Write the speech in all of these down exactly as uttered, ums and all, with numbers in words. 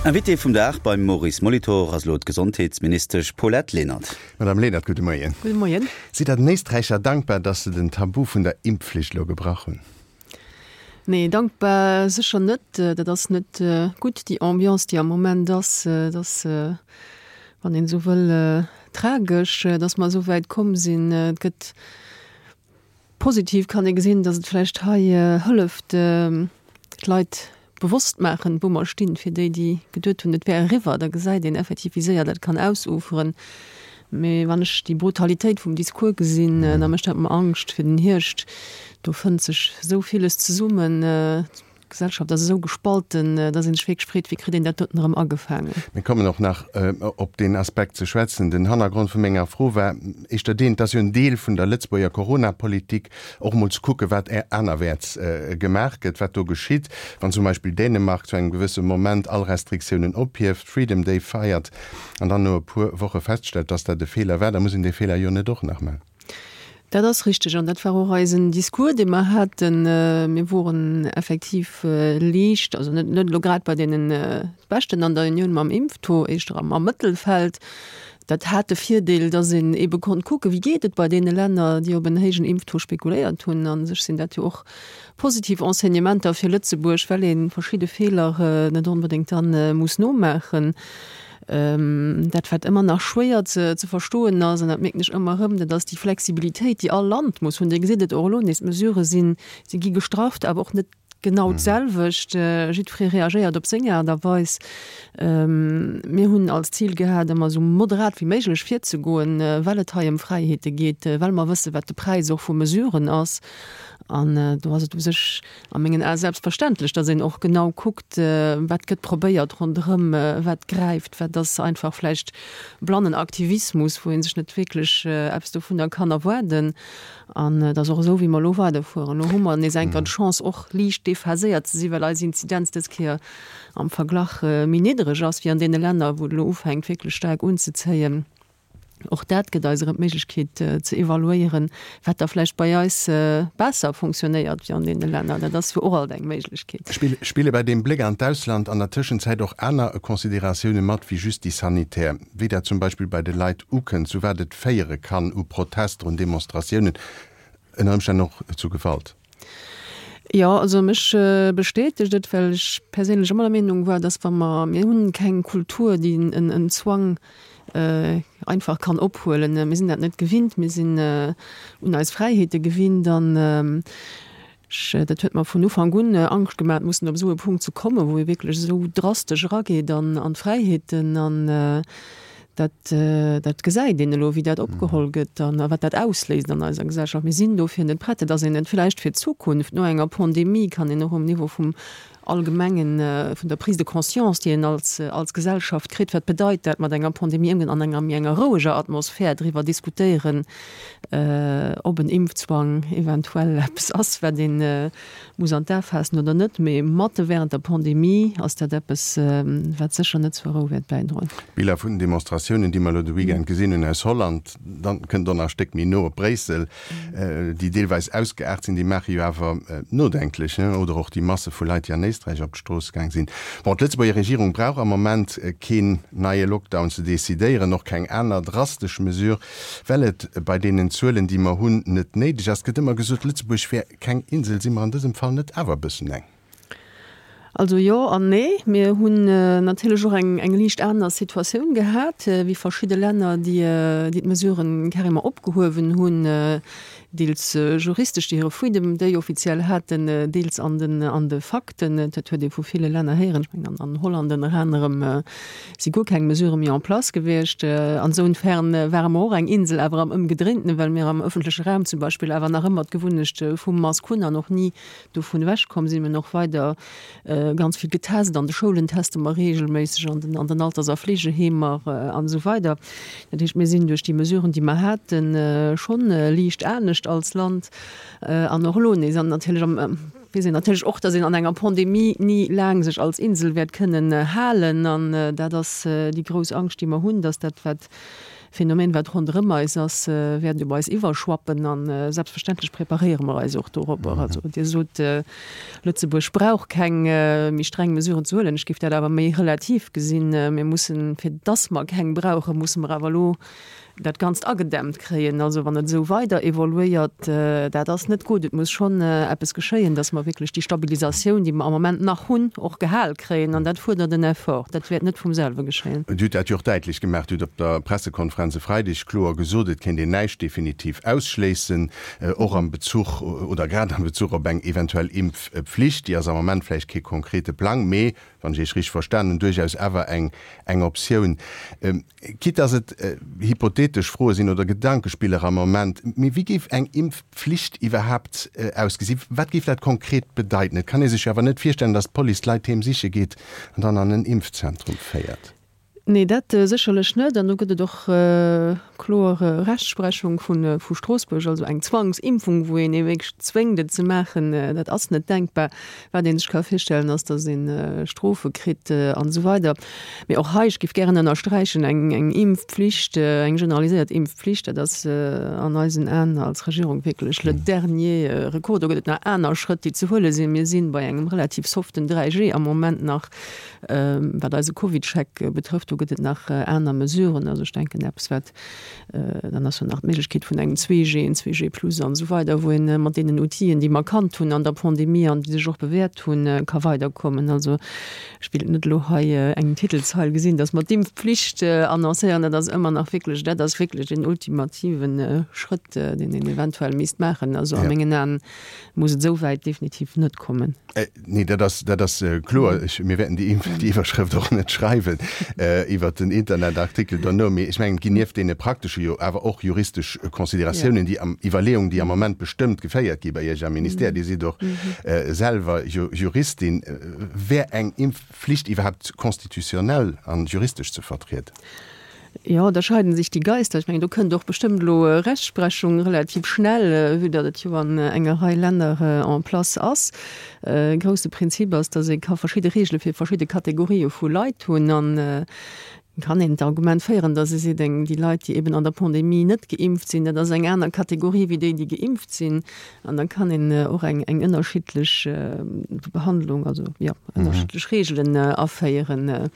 Invité vum Dag beim Maurice Molitor ass elo d'Gesondheetsministesch Paulette Lenert. Madame Lenert, gudde Moien. Gudde Moien. Sidd Der den Éisträicher dankbar, datt se den Tabu vun der Impfflicht elo gebrach hunn? Nee, dankbar sécher net. Dat ass net gutt, déi Ambiance, déi am Moment ass. Dat ass, wann een esou wëll, tragesch, datt mer esou wäit komm sinn. Et gëtt positiv kann ee gesinn, datt et vläicht hei hëlleft, d'Leit bewosst maachen, wou mer stinn, fir déi, déi geduet hunn, et wär eriwwer. Da gesäit een effektiv, wéi séier dat kann ausuferen. Mee wann ech déi Brutalitéit vum Discours gesinn, da mécht dat mer Angscht fir den Hierscht. Do fënnt sech esou villes zesummen. D'Gesellschaft ass esou gespalten, dass ee sech wierklech freet, wéi kritt een dat doten erëm agefaangen. Mir kommen och nach op deen Aspekt ze schwätzen. Den Hannergrond vu menger Fro war éischter deen, et ass jo en Deel vun der Lëtzebuerger Coronapolitik, och emol ze kucken, wat anerwäerts gemaach gëtt, wat do geschitt, wann zum Beispill Dänemark zu engem gewësse Moment all Restriktiounen ophieft, Freedom Day feiert an dann no e puer Woche feststellt, dass dat e Feeler war, da muss een dee Feeler jo net och nach maachen. Dat ass richteg an dat war och eisen Discours, dee mer haten. Mir woren effektiv liicht, also net net elo grad bei deene Beschten an der Unioun mam Impftaux, éischter am Mëttelfeld. Dat hat de Virdeel, datt een eebe konnt kucken, wéi geet et bei deene Länner, déi op en héijen Impftaux spekuléiert hunn. A sech sinn dat jo och positiv Enseignementer fir Lëtzebuerg, well ee verschidde Feeler net onbedéngt da muss nomaachen. Dat, wat ëmmer nach schwéier ze ze verstoen ass, an dat mierken ech ëmmer erëm, dat ass déi Flexibilitéit, déi all Land muss hunn. Dir gesitt et och elo nees, d'Mesurë sinn, si gi gestrafft, awer och net genau d'selwecht. Jiddweree reagéiert op seng Aart a Weis. Mir hunn als Zil gehat, ëmmer esou moderat wéi méiglech virzegoen, well et hei ëm Fräiheete geet, well mer wëssen, wat de Präis och vu Mesuren ass. An do ass et u sech a mengen Ae selbstverständlech, datt een och genau kuckt, wat gëtt probéiert ronderëm, wat gräift, wat ass einfach vläicht blannen Aktivismus, wou ee sech net wierklech eppes dovunner kann erwaarden. An et ass och esou, wéi mer elo weiderfueren. Elo hu mer nees eng Kéier d'Chance, och liicht déphaséiert ze sinn, well eis Inzidenz dës Kéier am Verglach méi niddereg ass wéi an deene Länner, wou et elo ufänkt wierklech staark unzezéien. Och dat gëtt eis erëm d'Méiglechkeet ze evaluéieren, wat da vläicht bei eis besser fonctionnéiert wéi an deene Länner. Dat ass jo och alt eng Méiglechkeet. Spille bei deem Bléck an d'Ausland an der Tëschenzäit och aner Consideratioune mat wéi just déi sanitär, wéi dat zum Beispill bei de Leit ukënnt, zu wat et féiere kann u Protester, un Demonstratiounen, ënner Ëmstänn och zu Gewalt? Jo, also mech bestätegt et, well ech perséinlech ëmmer der Meenung war, dass wa mer, mir hunn keng Kultur, déi en Zwang einfach kann ophuelen. Mir sinn dat net gewinnt, mir sinn un eis Fräiheete gewinnt an ech, dat huet mer vun Ufank un Angscht gemaach, mussen op esou e Punkt ze kommen, wou ee wierklech esou drastesch erageet an d'Fräiheeten an Dat, dat gesäit een elo, wéi dat opgeholl gëtt an wat dat ausléist an eiser Gesellschaft. Mir sinn dofir net prett. Et ass een net vläicht fir d'Zukunft. No enger Pandemie kann een och um Niveau vum Allgemengen, vun der Prise de conscience, déi een als, als Gesellschaft kritt, wat bedeit dat, mat enger Pandemie ëmgoen, an enger méi enger roueger Atmosphär driwwer diskutéieren, ob en Impfzwang eventuell eppes ass, wat ee muss an d'A faassen oder net. Mee matte während der Pandemie ass dat eppes, wat sécher net zur Rou wäert bäidroen. D'Biller vun den Demonstratiounen, déi mer elo de Weekend gesinn hunn aus Holland, dann kënnt och nach e Stéck méi no op Bréissel, déi deelweis ausgeaart sinn, déi maache jo awer nodenklech, oder och déi Masse vu Leit, déi an Éisträich op d'Strooss gaang sinn. Bon, d'Lëtzebuerger Regierung brauch am Moment keen neie Lockdown ze decidéieren, och keng aner drastesch Mesure, well et bei deenen Zuelen, déi mer hunn, net néideg ass. Et gëtt ëmmer gesot, Lëtzebuerg wär keng Insel. Si mer an dësem Fall net awer e bëssen eng? Also jo an nee. Mir hunn natierlech och eng eng liicht aner Situatioun gehat wéi verschidde Länner, déi déi d'Mesuren carrément opgehuewen hunn, deels juristesch, déi hire Freedom Day offiziell haten, deels an den an de Fakten. Dat huet ee vu ville Länner héieren. Ech mengen an Holland ënner anerem si guer keng Mesurë méi en place gewiescht. Ansounfern ware mer och eng Insel, awer am Ëmgedréintenen, well mir am ëffentleche Raum zum Beispill awer nach ëmmer d'Gewunnecht vum Mask hunn an och ni dovun ewechkomm sinn. Mir hunn och weider ganz vill getest, an de Schoulen teste mer reegelméisseg, an den an den Alters a Fleegeheemer an esou weider. Dat heescht, mir sinn duerch déi Mesuren, déi mer haten, schonn liicht anescht als Land an och elo nees. An natierlech am weess een natierlech och, datt een an enger Pandemie ni laang sech als Insel wäert kënnen halen. An dat ass déi grouss Angscht, déi mer hunn, datt dat, wat Phänomen, wat ronderëm eis ass, wäert op eis iwwerschwappen. A selbstverständlech preparéiere mer eis och dorobber. Also Dir sot, Lëtzebuerg brauch keng méi streng Mesuren ze huelen. Ech géif dat awer méi relativ gesinn. Mir mussen, fir dass mer keng brauchen, musse mer awer elo dat Ganzt agedämmt kréien. Also wann et esou weider evoluéiert, dat ass net gutt. Et muss schonn eppes geschéien, dass mer wierklech déi Stabilisatioun, déi mer am Moment nach hunn, och gehal kréien. An dat fuerdert en Effort. Dat wäert net vum selwe geschéien. Dir hutt dat jo och däitlech gemaach. Dir hutt op der Pressekonferenz e Freideg kloer gesot, et kéint een näischt definitiv ausschléissen, och am Bezuch oder grad am Bezuch op eng eventuell Impfpflicht. Déi ass am Moment vläicht kee konkrete Plang, mee, wann ech Iech richteg verstanen hunn, duerchaus awer eng eng Optioun. Quitte dass et hypothetesch Froe sinn oder Gedankespiller am Moment, mee wéi géif eng Impfpflicht iwwerhaapt ausgesinn? Wat géif dat konkret bedeiten? Et kann ee sech jo awer net virstellen, dass d'Police d'Leit heem siche geet an dann an en Impfzentrum féiert. Nee, dat sécherlech net. An do gëtt et och kloer Rechtsprechung vu Stroossbuerg. Also eng Zwangsimpfung, wou een ee wierklech zwéngt, et ze maachen, dat ass net denkbar. Wat ee sech ka virstellen, ass, datt ee Strofe kritt an esou weider. Mee och hei, ech géif gären ënnersträichen, eng Impfpflicht, eng generaliséiert Impfpflicht, dat ass an eisen Aen als Regierung wierklech le dernier recours. Do gëtt et nach aner Schrëtt, déi ze huele sinn. Mir si bei engem relativ soften dräi G am Moment nach. Wat eise CovidCheck betrëfft, do gëtt et nach aner Mesuren. Also ech denken eppes wat, dann ass jo nach d'Méiglechkeet vun engem zwee G, en zwee G plus an esou weider, wou een mat deenen Outill'en, déi mer kannt hunn an der Pandemie an déi sech och bewäert hunn, ka weiderkommen. Also ech wéilt net elo hei eng Titelzeil gesinn, datt mer d'Impfpflicht annoncéieren. Dat ass ëmmer nach wierklech, dat ass wierklech den ultimativen Schrëtt, deen een eventuell misst maachen. Also a mengen Aen muss et esou wäit definitiv net kommen. Nee, dat ass, dat ass kloer. Ech, mir wäerten déi déi Iwwerschrëft och net schreiwen iwwert den Internetartikel dono. Mee ech mengen, et ginn nieft deene praktesche jo awer och juristesch Consideratiounen, déi am, Iwwerleeungen, déi am Moment bestëmmt geféiert gi bei Iech am Ministère. Dir sidd och selwer Juristin. Wär eng Impfflicht iwwerhaapt constitutionnel an juristesch ze vertrieden? Jo, da scheiden sich die Geister. Ech mengen, do kënnt och bestëmmt elo Rechtsprechung relativ schnell, vue datt et jo an enger Rei Länner en place ass. E grousse Prinzip ass, datt ee ka verschidde Regele fir verschidde Kategorië vu Leit hunn. An kann een d'Argument féieren, datt ee seet, eng, déi Leit, déi eben an der Pandemie net geimpft sinn, dat ass eng aner Kategorie wéi déi, déi geimpft sinn. An da kann een och eng, eng ënnerschiddlech Behandlung, also jo, ënnerschiddlech Regelen aféieren.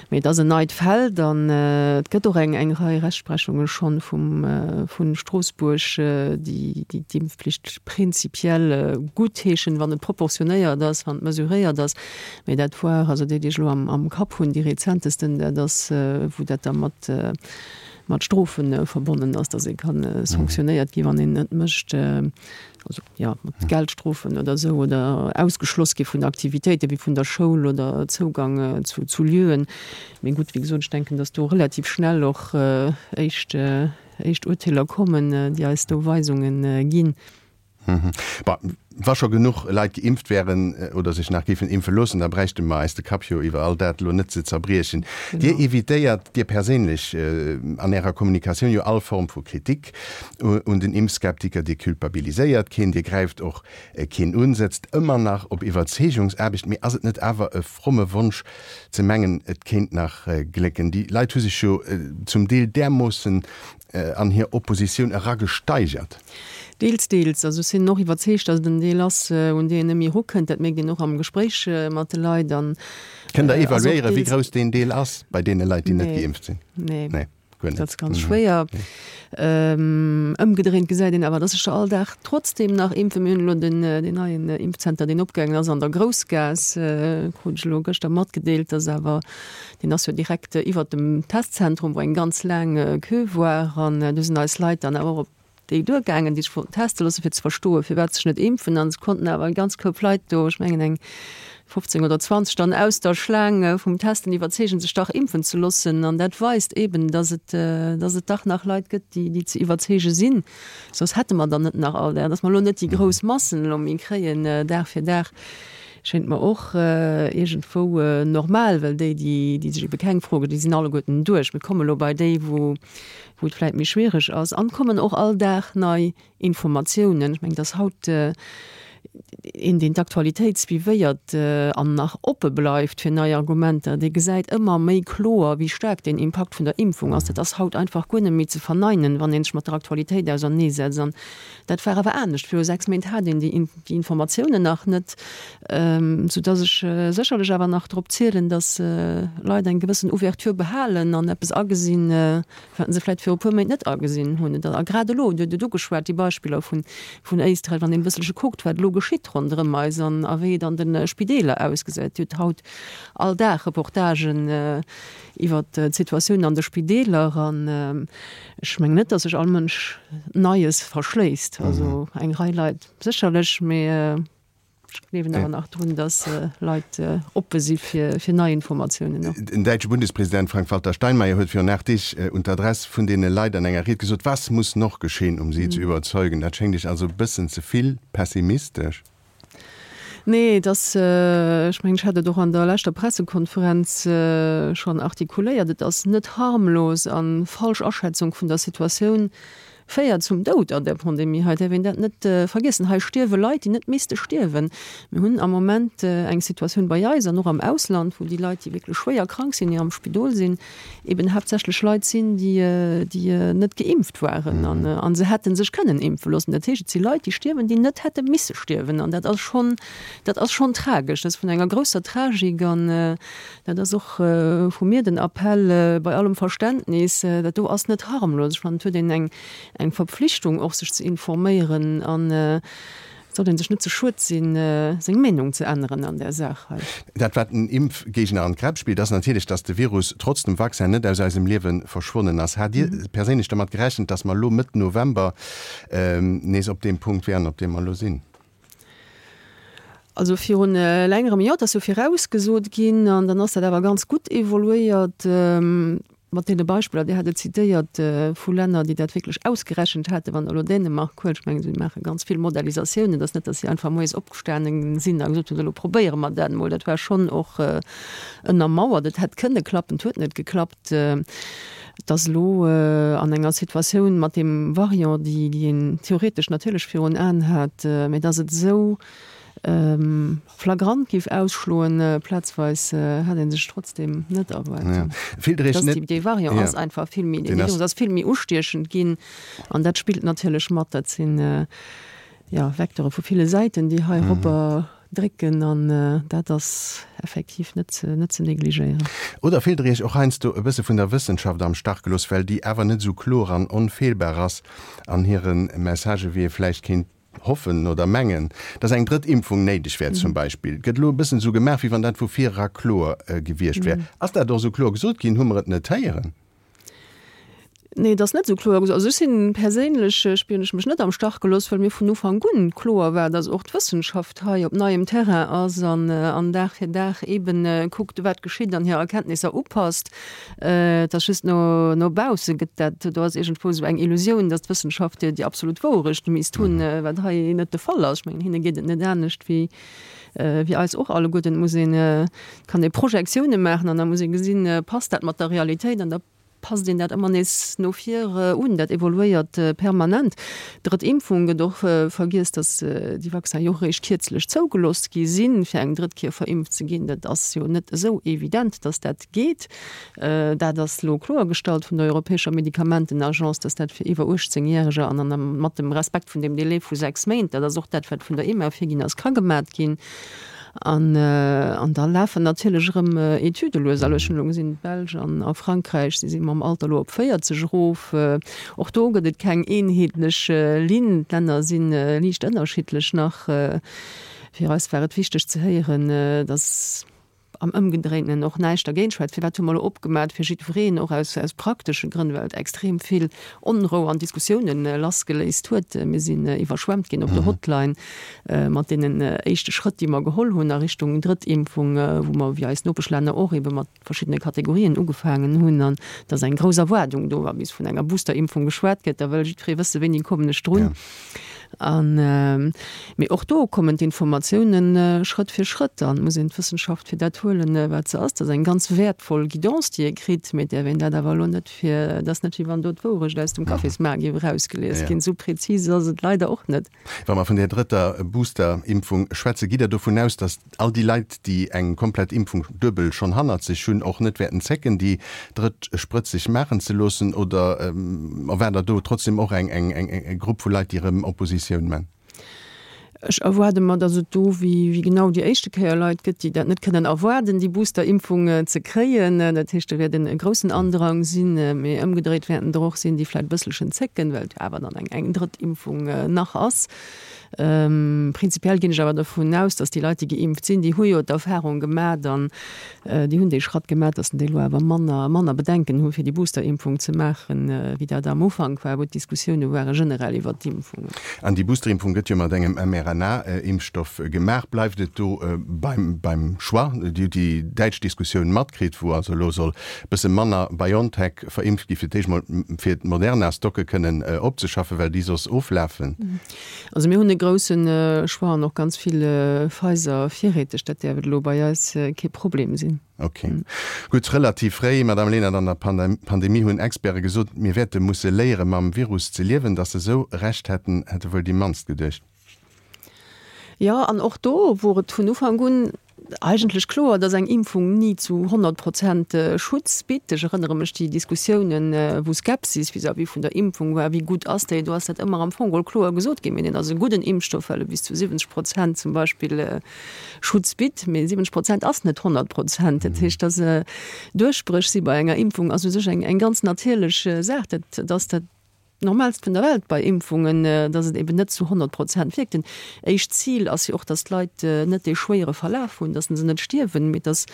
Mee et ass en neit Feld an et gëtt och eng eng Rei Rechtsprechunge schonn vum vu Stroossbuerg, déi déi d'Impfpflicht prinzipiell guttheeschen, wann et proportionéiert ass, wann et mesuréiert ass. Mee dat war, also déi, déi ech elo am am Kapp hunn, déi rezentesten, dat ass, wou dat da mat mat Strofe verbonnen ass, datt ee ka sanktionéiert gi wann een net mécht, also jo mat Geldstrofen oder esou, oder ausgeschloss gi vun Aktivitéite wéi vun der Schoul oder Zougang zu zu Lieuen. Mee gutt, wéi gesot, ech denken, datt do relativ schnell och éischt éischt Urteeler kommen, déi eis do Weisunge ginn. Bon, wa scho genuch Leit geimpft wären oder sech nach géifen impfe loossen, da bräichte mer eis de Kapp jo iwwer all dat elo net ze zerbriechen. Dir evitéiert, Dir perséinlech, an Ärer Kommunikatioun jo all Form vu Kritik un den Impfskeptiker. Dir culpabiliséiert keen, Dir gräift och keen un, sëtzt ëmmer nach op Iwwerzeegungsaarbecht. Mee ass et net awer e fromme Wonsch ze mengen, et kéint nach glécken? Déi Leit hu sech jo zum Deel därmoossen an hir Oppositioun eragesteigert. Deels, deels. Also ech sinn och iwwerzeegt, datt et en Deel ass, un dee een net méi erukënnt. Dat mierkt een och am Gespréich mat de Leit. An Kënnt Der evaluéieren, wéi grouss deen Deel ass bei deene Leit, déi net geimpft sinn? Nee. Nee, guer net. Dat ass ganz schwéier. Ëmgedréint gesäit een awer, datt sech der all Dag trotzdeem nach impfen. Mir hunn elo den neien Impfzenter, deen opgaangen ass an der Groussgaass, krut ech elo gëschter matgedeelt, datt awer, deen ass jo direkt iwwert dem Testzentrum, wou eng ganz laang Queue war. An do sinn eis Leit dann awer och op déi duergaangen, déi sech wollten teste loossen, fir ze verstoen, firwat sech net impfen. An se konnten awer eng ganz Koup Leit do, ech mengen eng fofzéng oder zwanzeg dann aus der Schlaang vum Testen iwwerzeegen, sech dach impfen ze loossen. An dat weist eeben, dass et, dass et dach nach Leit gëtt, déi, déi ze iwwerzeege sinn. Soss hätte mer dann net nach all där. Dass mer elo net déi grouss Massen elo méi kréien Dag fir Dag, schéint mer och iergendwou normal, well déi, déi, déi sech ebe keng Froe, déi sinn alleguerten duerch. Mir komme elo bei déi, wou, wou et vläit méi schwiereg ass. An et kommen och all Dag nei Informatiounen. Ech mengen, dass haut Een, deen d'Aktualitéit suivéiert an nach oppe bleift fir nei Argumenter, dee gesäit ëmmer méi kloer, wéi staark deen Impakt vun der Impfung ass. Dat ass haut einfach guer net méi ze verneinen, wann ee sech mat der Aktualitéit auserneesetzt. An dat war awer anescht. Viru sechs Méint hat een déi Informatiounen nach net, soudass ech sécherlech awer nach drop zielen, dass Leit eng gewëssen Ouverture behalen an eppes agesinn, wat se vläicht viru e puer Méint net agesinn hunn. A grad elo, Dir hutt et ugeschwat, déi Beispiller vun Éisträich, wann een e bësselche kuckt, wat elo geschitt ronderëm eis an a wéi et an de Spideeler ausgesäit. Dir hutt haut all Dag Reportagen iwwert d'Situatioun an de Spideeler an ech mengen net, datt sech all Mënsch Neies verschléisst. Also eng Rei Leit sécherlech, mee ech gleewen awer nach drun, datt Leit oppe si fir nei Informatiounen. Den däitsche Bundespresident Frank-Walter Steinmeier huet virun aacht Deeg un d'Adress vun deene Leit an enger Ried gesot, Was muss noch geschehen, um sie zu überzeugen? Dat schéngt Iech also e bëssen ze vill pessimistesch? Nee, et ass, ech mengen, ech hat et och an der leschter Pressekonferenz schonn artikuléiert, et ass net harmlos a falsch Aschätzung vun der Situatioun féiert zum Doud an där Pandemie hei. Et däerf een dat net vergiessen. Hei stierwe Leit, déi net misste stierwen. Mir hunn am Moment eng Situatioun bei eis an och am Ausland, wou déi Leit, déi wierklech schwéier krank sinn, déi am Spidol sinn, eben haaptsächlech Leit sinn, déi, déi net geimpft waren an a se hätte sech kënnen impfe loossen. Dat heescht, et si Leit, déi stierwen, déi net hätte misse stierwen. An dat ass schonn, dat ass schonn tragesch. Dat ass vun enger grousser Tragik an dat ass och vu mir den Appell, bei allem Verständnis, dat do ass net harmlos. Ech fannen, et huet een eng, eng Verpflichtung och, sech ze informéieren an et sollt ee sech net ze schued sinn, seng Meenung ze änneren an där Saach hei. Dat, wat den Impfgéigner an d'Gräpp spillt, ass natierlech, dass de Virus trotz dem Vaccin net aus eisem Liewe verschwonnen ass. Hat Dir perséinlech dermat gerechent, dass mer elo Mëtt November nees op deem Punkt wären, op deem mer elo sinn? Also virun längerem, jo, et ass jo virausgesot ginn an dann ass dat awer ganz gutt evoluéiert. Mat deene Beispiller, Dir hat et zitéiert, vu Länner, déi dat wierklech ausgerechent haten, wann Der elo Dänemark huelt, ech mengen, si maache ganz vill Modellisatiounen, et ass net, datt si einfach moies opgestane sinn a gesot hunn, elo probéiere mer dat emol. Dat war schonn och ënnermauert. Et hätt kënne klappen, et huet net geklappt. Et ass elo an enger Situatioun mat deem Variant, déi een theoretesch natierlech virun Aen hat, mä datt et esou flagrant géif ausschloen, plazweis hat ee sech trotzdem net erwaart. Dee Variant ass einfach vill méi, dee Virus ass vill méi ustiechend ginn an dat spillt natierlech mat. Dat sinn, jo, Vecteure vu ville Säiten, déi heiropper drécken an dat ass effektiv net ze, net ze negligéieren. Oder fillt Der Iech och heiansdo e bësse vun der Wëssenschaft am Stach gelooss, well déi awer net esou kloer an onfeelbar ass an hire Messagë wéi ee vläicht kéint hoffen oder mengen, dass eng drëtt Impfung néideg wär zum Beispill, gëtt elo e bëssen esou gemaach, wéi wann dat vu vir era kloer gewiescht wär. Ass dat och esou kloer gesot ginn? Hu mer et net héieren? Nee, et ass net esou kloer gesot. Also ech sinn perséinlech, spieren ech mech net am Stach gelooss, well mir vun Ufank un kloer war, dass och d'Wëssenschaft hei op neiem Terrain ass an an Dag fir Dag eeben kuckt, wat geschitt an hir Erkenntnisser upasst. Et ass just no no bausse gëtt dat, do ass iergendwou esou eng Illusioun, datt d'Wëssenschaft déi absolut Wourecht misst hunn, wat hei net de Fall ass. Ech mengen, hinne geet et net anescht wéi wéi eis och alleguerten. Et muss een, et kann ee Projektioune maachen an da muss ee gesinn, passt dat mat der Realitéit an da passt een dat ëmmer nees no vir un. Dat evoluéiert permanent. Drëtt Impfung gëtt och vergiess, datt déi Vaccinen jo och eréischt kierzlech zougelooss gi sinn, fir eng drëtt Kéier verimpft ze ginn. Dat ass jo net esou evident, datt dat geet. Dat ass elo kloergestallt vun der Europäescher Medikamentenagence, datt dat fir iwwer uechtzéng Järeger an an mat dem Respekt vun deem Delai vu sechs Méint, dat ass och dat, wat vun der EMA virginn ass, ka gemat ginn. An an da lafen natierlech erëm Etüde lues. Also ech hunn elo gesinn, d'Belsch an a Frankräich, si si mam Alter elo op véierzeg erof. Och do gëtt et keng eenheetlech Linn. D'Länner si liicht ënnerschiddlech nach. Fir eis war et wichteg ze héieren, datt am Ëmgedréintenen och näischt dergéint schwätzt. Firwat hu mer elo opgemat fir jiddwereen, och aus aus praktesche Grënn, well et extrem vill Onrou an Diskussiounen lassgeléist huet. Mir sinn iwwerschwemmt ginn op der Hotline mat deenen éischte Schrëtt, déi mer geholl hunn a Richtung Drëttimpfung, wou mer, wéi eis Nopeschlänner och, ebe mat verschiddene Kategorien ugefaangen hunn. An et ass eng grouss Erwaardung do, wa bis vun enger Boosterimpfung geschwat gëtt, da wëll jiddweree wëssen, wéini kommen ech drun. An, mee och do kommen d'Informatiounen Schrëtt fir Schrëtt an muss een d'Wëssenschaft fir dat huelen, wat se ass. Dat ass eng ganz wäertvoll Guidance, déi ee kritt, mee et däerf een dat awer elo net fir, dat ass net wéi wann do d'Wourecht aus dem Cafésmaart géif erausgelies ginn. Esou prezis ass et leider och net. Wa mer vun där drëtter Booster-Impfung schwätzen, gitt Der dovun aus, datt all déi Leit, déi eng komplett Impfung duebel schonn hannert sech hunn, och net wäerten zécken, déi drëtt Sprëtz sech maachen ze loossen? Oder erwaart Der do trotzdem och eng Grupp vu Leit, déi erëm Oppositioun man? Ech erwaarde mer, datt et do, wéi genau déi éischte Kéier, Leit gëtt, déi dat net kënnen erwaarden, déi Booster-Impfung ze kréien. Dat heescht, do wäert e groussen Andrang sinn. Mee ëmgedréit wäerten der och sinn, déi vläicht e bësselchen zécken, well et jo awer dann eng drëtt Impfung nach ass. Prinzipiell ginn ech awer dovun aus, datt déi Leit, déi geimpft sinn, déi hu jo d'Erfahrung gemat an déi hunn dee Schratt gemat, datt se déi elo awer manner, manner Bedenken hu fir déi Boosterimpfung ze maachen, wéi dat am Ufank war, wou d'Diskussioune ware generell iwwert d'Impfungen. An déi Boosterimpfung gëtt jo mat engem mRNA-Impfstoff gemaach. Bleift et do beim, beim Choix? Dir hutt déi däitsch Diskussioun matkritt, wou also elo soll e bësse manner BioNTech verimpft gi fir d'éischt mol fir d'Moderna-Stocke kënnen opzeschaffen, well déi soss oflafen. Also mir hunn e grousse Choix an och ganz vill Pfizer virräteg. Dat däerf et elo bei eis kee Problem sinn. Ok. Gutt, relativ fréi, Madame Lenert, an der Pandemie hunn Experte gesot, mir wäerte musse léiere mam Virus ze liewen. Datt se esou Recht hätten, hätte wuel déi mannst geduecht. Jo, an och do wor et vun Ufank un eigentlech kloer, dass eng Impfung ni zu honnert Prozent Schutz bitt. Ech erënnere mech déi Diskussiounen, wou Skepsis vis-à-vis vun der Impfung war, wéi gutt ass déi? Do ass dat ëmmer am Fong geholl kloer gesot ginn, mee deen ass e gudden Impfstoff, well e bis zu siwwenzeg Prozent zum Beispill Schutz bitt. Mee siwwenzeg Prozent ass net honnert Prozent. Dat heescht, dass Duerchbréch si bei enger Impfung ass u sech eng ganz natierlech Saach. Dat ass dat Normaalst vun der Welt bei Impfungen, dass et eben net zu honnert Prozent wierkt. Den éischt Zil ass jo och, dass d'Leit net dee schwéiere Verlaf hunn, dass se net stierwen, mee et ass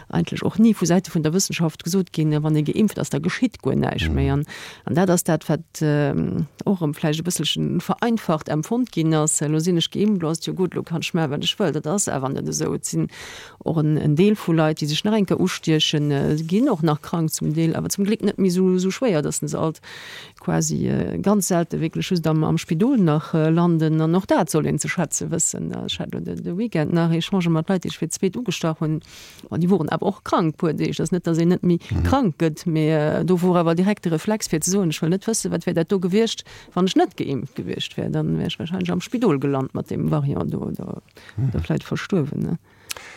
eigentlech och ni vu Säite vun der Wëssenschaft gesot ginn, wann ee geimpft ass, da geschitt guer näischt méi. An dat ass dat, wat och erëm vläicht e bësselche vereinfacht empfonnt ginn ass, Elo sinn ech geimpft, elo ass et jo gutt, elo kann ech maachen, wat ech wëll. Dat ass awer net esou. Et sinn och en Deel vu Leit, déi sech nach eng Kéier ustiechen, ginn och nach krank zum Deel, awer zum Gléck net méi esou schwéier, dass se alt quasi ganz selte wierklech just am am Spidol nach landen. An och dat soll een ze schätze wëssen. Ech hat elo de Weekend nach Echangë mat Leit, déi sech fir d'zweet ugestach hunn. Bon, déi woren awer och krank puer Deeg. Et ass net, datt een net méi krank gëtt, mee do wor awer direkt de Reflex fir ze soen, ech wëll net wëssen, wat wär dat do gewiescht, wann ech net geimpft gewiescht wär. Dann wär ech wahrscheinlech am Spidol gelant mat deem Variant do oder vläicht verstuerwen.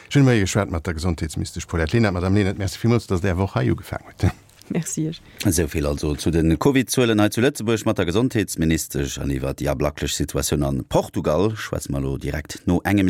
Ech hunn de Moie geschwat mat der Gesondheetsministesch Paulette Lenert. Madame Lenert, Merci villmools, datt Der Är Woch hei ugefaangen hutt. Merci Iech. Esou vill also zu de Covid-Zuelen hei zu Lëtzebuerg mat der Gesondheetsministesch. An iwwer déi ablacklech Situatioun a Portugal schwätze mer elo direkt no engem.